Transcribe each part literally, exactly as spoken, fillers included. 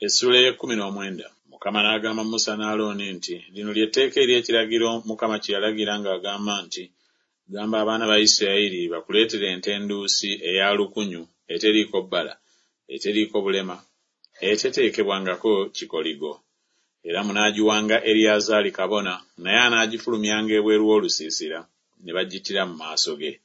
Essuula ey'ekkumi n'omwenda. Mukama n'agamba Musa ne Alooni nti, Lino lye tteeka ery'ekiragiro Mukama kye yalagira ng'agamba nti, Gamba abaana ba Isirayiri bakuleetere ente enduusi eya lukunyu eteriiko bbala, eteriiko bulema, eteteekebwangako kikoligo. Era munaagiwanga Eriyazaali kabona, naye anaagifulumyanga ebweru w'olusiisira, ne bagittira mu maaso ge.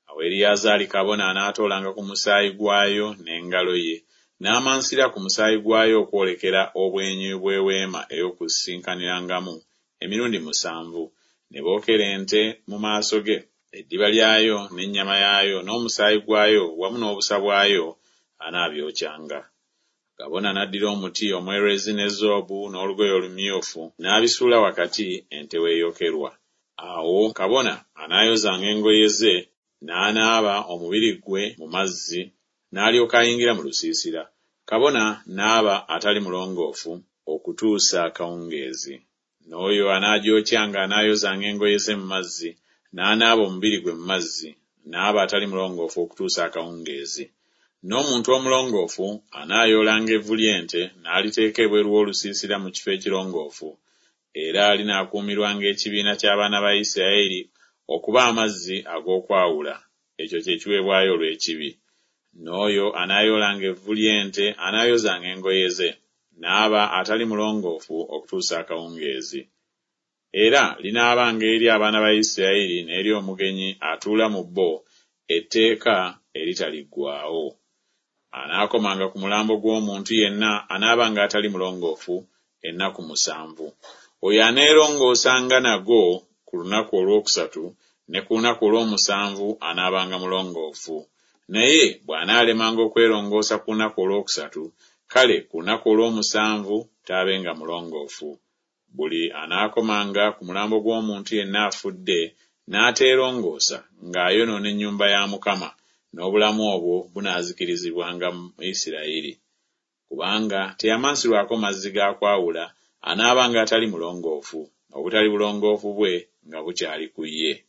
Awo Eriyazaali kabona anaatoolanga ku musaayi gwayo n'engalo ye, n'amansira ku musaayi gwayo okwolekera obwenyi bw'eweema ey'okusisinkanirangamu emirundi musanvu, ne bookera ente mu maaso ge, eddiba lyayo n'ennyama yaayo n'omusaayi gwayo wamu n'obusa bwayo anaabyokyanga. Kabona n'addira omuti omwerezi ne zoobu n'olugoye olumyufu n'abisuula wakati ente weeyokerwa. Awo kabona anaayozanga engoye ze n'anaaba omubiri gwe mu mazzi, n'alyoka ayingira mu lusiisira. Kabona n'aba atali mulongoofu okutuusa akawungeezi. N'oyo anaagyokyanga anaayozanga engoye ze mu mazzi, n'anaaba omubiri gwe mu mazzi, n'aba atali mulongoofu okutuusa akawungeezi. N'omuntu omulongoofu anaayoolanga evvu ly'ente n'aliteeka ebweru w'olusiisira mu kifo ekirongoofu, era linaakuumirwanga ekibiina ky'abaana ba Isirayiri okuba amazzi ag'okwawula, ekyo kye kiweebwayo olw'ekibi. N'oyo anaayoolanga evvu ly'ente anaayozanga engoye ze, n'aba atali mulongoofu okutuusa akawungeezi. Era linaabanga eri abaana ba Isirayiri n'eri omugenyi atuula mu bo etteeka eritaliggwaawo. Anaakomanga ku mulambo gw'omuntu yenna anaabanga atali mulongoofu ennaku musanvu. Oyo aneerongoosanga nagwo ku lunaku olwokusatu ne ku lunaku olw'omusanvu anaabanga mulongoofu. Naye bw'anaalemanga okwerongoosa ku lunaku olwokusatu, kale ku lunaku olw'omusanvu taabenga mulongoofu. Buli anaakomanga ku mulambo gw'omuntu yenna afudde n'ateerongoosa ng'ayonoona ennyumba ya Mukama, n'obulamu obwo bunaazikirizibwanga mu Isirayiri. Kubanga teyamansirwako mazzi ga kwawula, anaabanga atali mulongoofu, obutali bulongoofu bwe nga bukyali ku ye.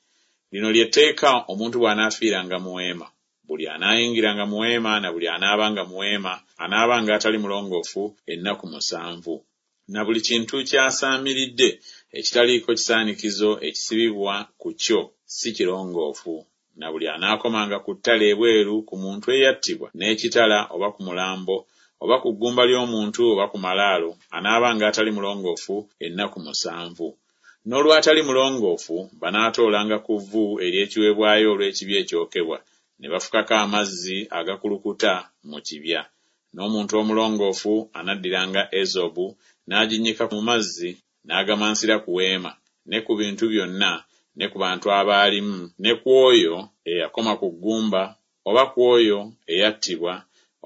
Lino lye tteeka omuntu bw'anaafiiranga mu weema. Buli anaayingiranga mu weema na buli anaabanga mu weema anaabanga atali mulongoofu ennaku musanvu. Na buli kintu ky'asaamiridde ekitaliiko kisaanikizo ekisibibwa ku kyo si kirongoofu. Na buli anaakomanga ku ttale ebweru ku muntu eyattibwa n'ekitala oba ku mulambo oba ku ggumba ly'omuntu oba ku malaalo anaabanga atali mulongoofu ennaku musanvu. N'olw'atali mulongoofu banaatoolanga ku vvu ery'ekiweebwayo olw'ekibi ekyokebwa, ne bafukako amazzi agakulukuta mu kibya. N'omuntu omulongoofu anaddiranga ezobu n'aginnyika mu mazzi n'agamansira ku weema ne ku bintu byonna ne ku bantu abaalimu ne ku oyo eyakoma ku ggumba oba ku oyo eyattibwa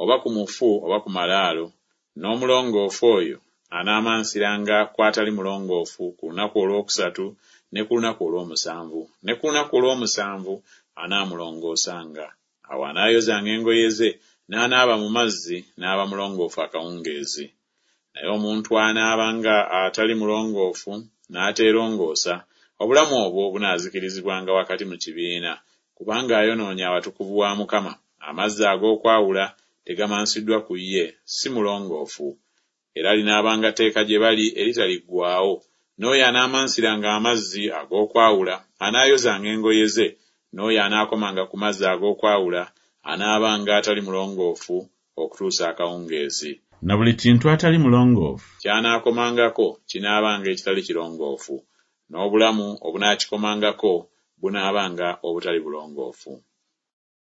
oba ku mufu oba ku malaalo. N'omulongoofu oyo anaamansiranga ku atali mulongoofu ku lunaku olwokusatu ne ku lunaku olw'omusanvu, ne ku lunaku olw'omusanvu anaamulongoosanga. Awo anaayozanga engoye ze n'anaaba mu mazzi n'aba mulongoofu akawungeezi. Naye omuntu anaabanga atali mulongoofu n'ateerongoosa, obulamu obwo bunaazikirizibwanga wakati mu kibiina, kubanga ayonoonye awatukuvu wa Mukama, amazzi ag'okwawula tegamansiddwa ku ye, si mulongoofu. Era linaabanga tteeka gye bali eritaliggwaawo. N'oyo anaamansiranga amazzi ag'okwawula anaayozanga engoye ze, n'oyo anaakomanga ku mazzi ag'okwawula anaabanga atali mulongoofu okutuusa akawungeezi. Na buli kintu atali mulongoofu ky'anaakomangako kinaabanga ekitali kirongoofu, n'obulamu obunaakikomangako bunaabanga obutali bulongoofu.